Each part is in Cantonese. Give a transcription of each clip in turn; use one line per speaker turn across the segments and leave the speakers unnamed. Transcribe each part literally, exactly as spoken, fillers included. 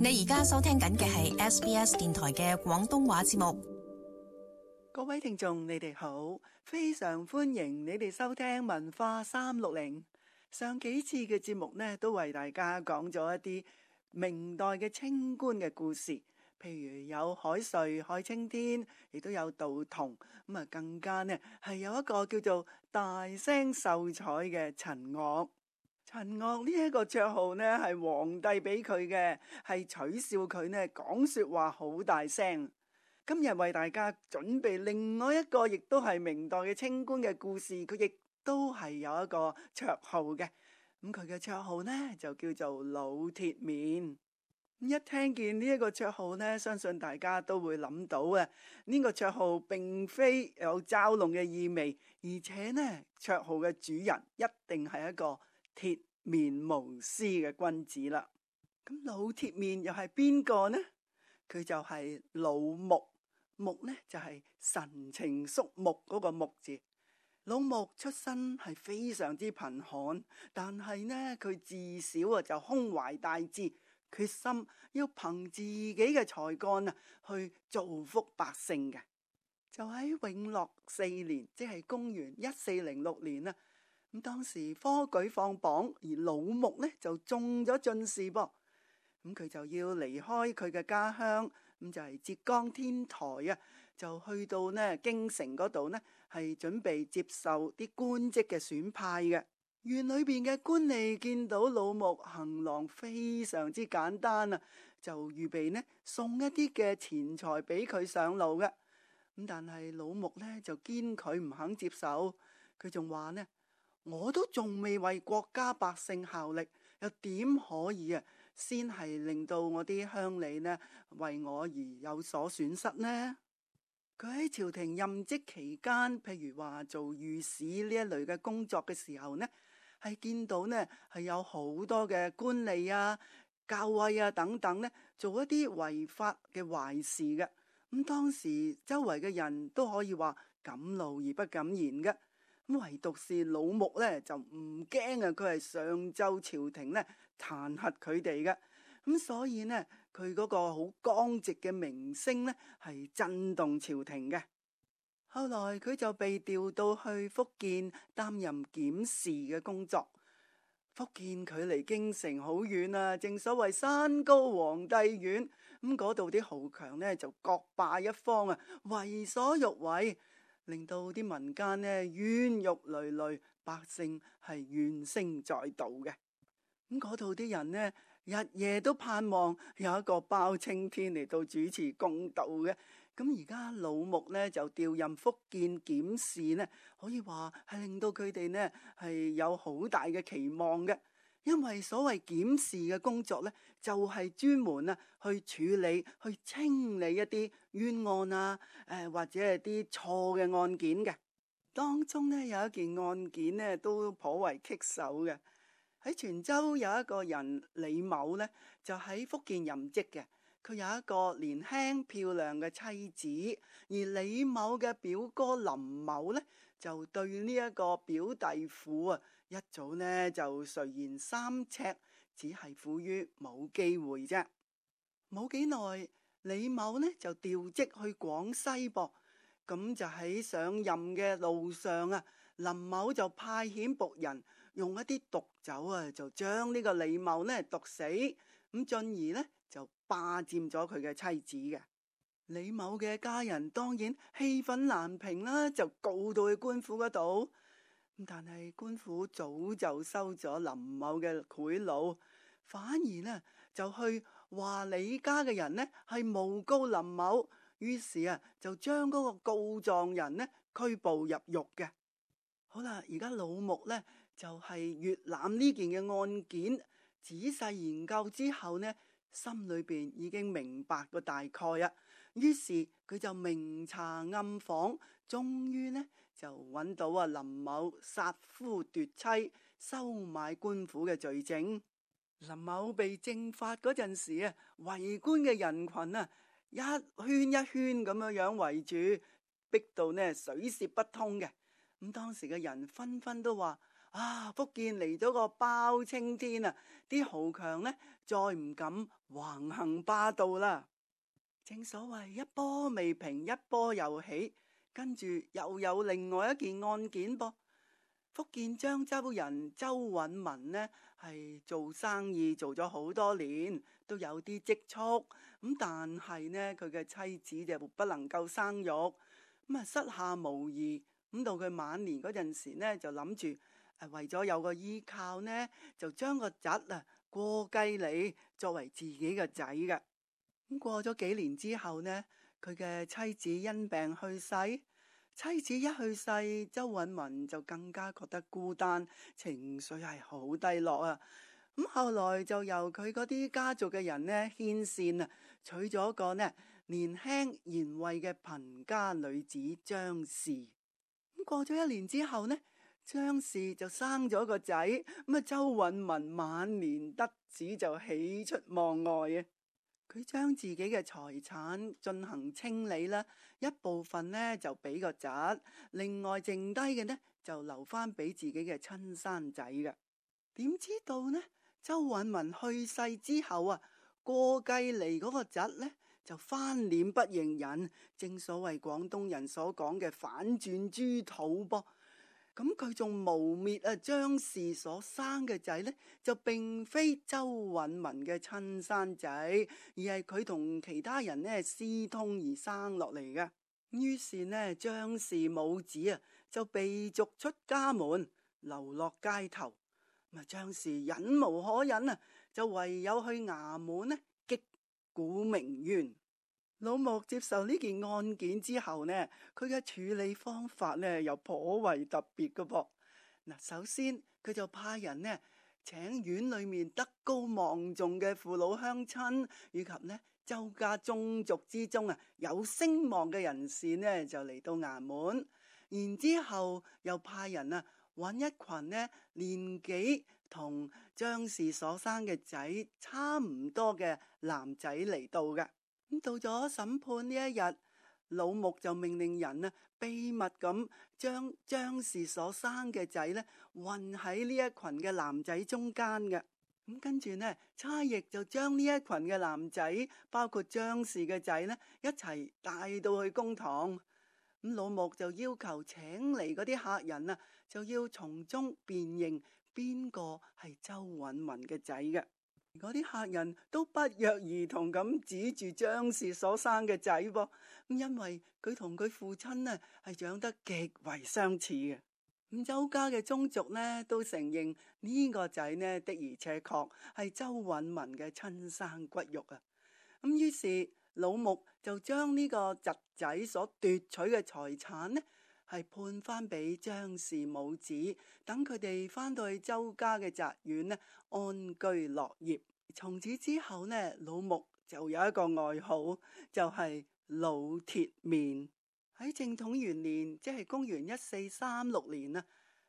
你而家收聽緊嘅係 S B S 電台嘅廣東話節目。
各位聽眾，你哋好，非常歡迎你哋收聽文化三六零。上幾次嘅節目呢，都為大家講咗一啲明代嘅清官嘅故事，譬如有海瑞、海青天，亦都有杜同，咁啊更加呢係有一個叫做大聲秀才嘅陳岳。陳岳呢一個綽號呢係皇帝俾佢嘅，係取笑佢呢講說話好大聲。今日為大家準備另外一個亦都係明代嘅清官嘅故事，佢亦都係有一個綽號嘅。咁佢嘅綽號呢就叫做老鐵面。一聽見呢一個綽號呢，相信大家都會諗到啊，呢個綽號並非有嘲弄嘅意味，而且呢綽號嘅主人一定係一個鐵面無私嘅君子啦。咁老鐵面又係邊個呢？佢就係老穆。穆呢就係神情肅穆嗰個穆字。老穆出身係非常之貧寒，但係呢佢自小啊就胸懷大志，決心要憑自己嘅才幹啊去造福百姓嘅。就喺永樂四年，即係公元一四零六年啦。咁當時科舉放榜，而老穆呢就中咗進士噃。咁佢就要離開佢嘅家鄉，咁就係浙江天台啊，就去到呢京城嗰度呢，係準備接受啲官職嘅選派嘅。院裏邊嘅官吏見到老穆行囊非常之簡單啊，就預備呢送一啲嘅錢財俾佢上路嘅。咁但係老穆呢就堅拒唔肯接受，佢仲話呢，我都仲未為國家百姓效力，又點可以啊先係令到我啲鄉里呢為我而有所損失呢？佢喺朝廷任職期間，譬如話做御史呢一類嘅工作嘅時候呢，係見到呢係有好多嘅官吏啊、校尉啊等等呢做一啲違法嘅壞事嘅。咁當時周圍嘅人都可以話敢怒而不敢言嘅。咁唯獨是老穆呢就唔驚啊，佢係上奏朝廷呢彈劾佢哋嘅。咁所以呢佢嗰個好剛直嘅名聲呢係震動朝廷嘅。後來佢就被調到去福建擔任檢視嘅工作。福建距離京城好遠啊，正所謂山高皇帝遠，咁嗰度啲豪強呢就各霸一方啊，為所欲為，令到啲民間呢冤獄累累，百姓係怨聲載道嘅。咁嗰度啲人呢日夜都盼望有一個包青天嚟到主持公道嘅。咁而家老穆呢就調任福建檢視呢，可以話係令到佢哋呢係有好大嘅期望嘅。因為所謂檢視嘅工作呢，就係專門啊去處理、去清理一啲冤案啊，誒或者係啲錯嘅案件嘅。當中呢有一件案件呢都頗為棘手嘅。喺泉州有一個人李某呢，就喺福建任職嘅。佢有一個年輕漂亮嘅妻子，而李某嘅表哥林某呢，就對呢一個表弟婦啊，一早呢就垂涎三尺，只係苦於冇機會啫。冇幾耐，李某呢就調職去廣西噃，咁就喺上任嘅路上啊，林某就派遣僕人用一啲毒酒啊，就將呢個李某呢毒死，咁進而呢就霸佔咗佢嘅妻子嘅。李某嘅家人當然氣憤難平啦，就告到去官府嗰度。但係官府早就收咗林某嘅賄賂，反而呢就去話李家嘅人呢係誣告林某，於是啊就將嗰個告狀人呢拘捕入獄嘅。好啦，而家老穆呢就係閱覽呢件嘅案件，仔細研究之後呢，心裏邊已經明白個大概啊。於是佢就明查暗訪，終於呢就揾到啊林某殺夫奪妻、收買官府嘅罪證。林某被正法嗰陣時啊，圍觀嘅人群啊一圈一圈咁樣樣圍住，逼到呢水泄不通嘅。咁當時嘅人紛紛都話：啊，福建嚟咗個包青天啊！啲豪強呢，再唔敢橫行霸道啦。正所謂一波未平一波又起，跟住又有另外一件案件噃。福建漳州人周允文呢，係做生意做咗好多年，都有啲積蓄，咁但係呢，佢嘅妻子就不能夠生育，咁啊膝下無兒，咁到佢晚年嗰陣時呢，就諗住誒為咗有個依靠呢，就將個侄啊過繼嚟作為自己嘅仔嘅。咁過咗幾年之後呢，佢嘅妻子因病去世。妻子一去世，周允文就更加覺得孤單，情緒係好低落啊。咁後來就由佢嗰啲家族嘅人呢牽線啊，娶咗個呢年輕賢惠嘅貧家女子張氏。咁過咗一年之後呢，張氏就生咗個仔，咁啊周允文晚年得子就喜出望外啊。佢將自己嘅財產進行清理啦，一部分呢就俾個侄，另外剩低嘅呢就留翻俾自己嘅親生仔嘅。點知道呢？周允文去世之後啊，過繼嚟嗰個侄呢就翻臉不認人，正所謂廣東人所講嘅反轉豬肚噃。咁佢仲誣衊啊張氏所生嘅仔呢，就並非周允文嘅親生仔，而係佢同其他人呢私通而生落嚟嘅。於是呢，張氏母子啊就被逐出家門，流落街頭。咁啊，張氏忍無可忍啊，就唯有去衙門呢擊鼓鳴冤。老穆接受呢件案件之後呢，佢嘅處理方法呢又頗為特別嘅噃。嗱，首先佢就派人呢請院裏面德高望重嘅父老鄉親，以及呢周家宗族之中啊有聲望嘅人士呢就嚟到衙門，然之後又派人啊揾一群呢年紀同張氏所生嘅仔差唔多嘅男仔嚟到嘅。咁到咗審判呢一日，老穆就命令人啊秘密咁將張氏所生嘅仔呢混喺呢一群嘅男仔中間嘅。咁跟住呢，差役就將呢一群嘅男仔，包括張氏嘅仔呢，一齊帶到去公堂。咁老穆就要求請嚟嗰啲客人啊，就要從中辨認邊個係周允文嘅仔嘅。嗰啲客人都不約而同咁指住張氏所生嘅仔噃，因為佢同佢父親呢係長得極為相似嘅。咁周家嘅宗族呢都承認呢個仔呢的而且確係周允文嘅親生骨肉啊。咁於是老穆就將呢個侄仔所奪取嘅財產呢係判翻俾張氏母子，等佢哋翻到去周家嘅宅院呢安居樂業。從此之後呢，老穆就有一個外號，就係老鐵面。喺正統元年，即係公元一四三六年啊，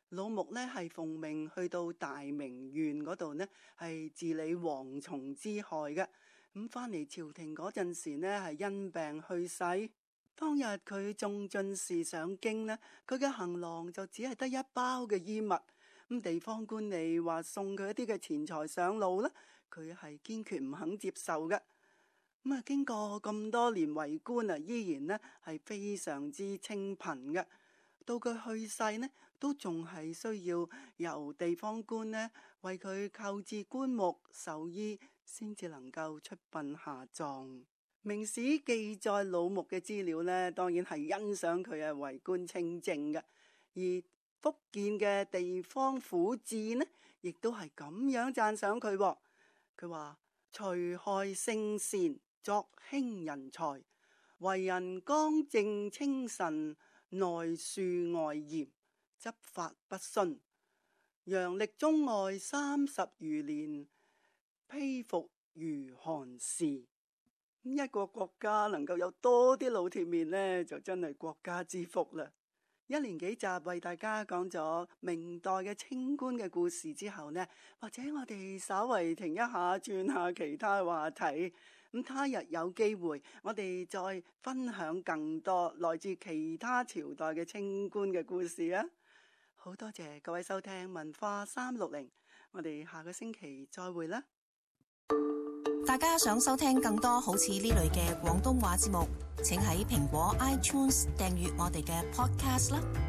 老穆呢係奉命去到大名縣嗰度呢係治理蝗蟲之害嘅。咁翻嚟朝廷嗰陣時呢係因病去世。當日佢中進士上京呢，佢嘅行囊就只係得一包嘅衣物。咁地方官吏話送佢一啲嘅錢財上路呢，佢係堅決唔肯接受嘅。咁啊，經過咁多年為官啊，依然呢係非常之清貧嘅。到佢去世呢，都仲係需要由地方官呢為佢購置棺木、壽衣，先至能夠出殯下葬。明史記載老穆嘅資料呢，當然係欣賞佢係為官清正嘅。而福建嘅地方府志呢，亦都係咁樣讚賞佢。佢話除害聖善，作興人才，為人剛正清慎，內恕外嚴，執法不徇，陽曆中外三十餘年，披服如寒士。一個國家能夠有多啲老鐵面呢，就真係國家之福啦。一連幾集為大家講咗明代嘅清官嘅故事之後呢，或者我哋稍為停一下，轉下其他話題。咁他日有機會，我哋再分享更多來自其他朝代嘅清官嘅故事啊！好多謝各位收聽文化三六零，我哋下個星期再會啦。
大家想收聽更多好似呢類嘅廣東話節目，請喺蘋果 iTunes 訂閱我哋嘅 podcast 啦。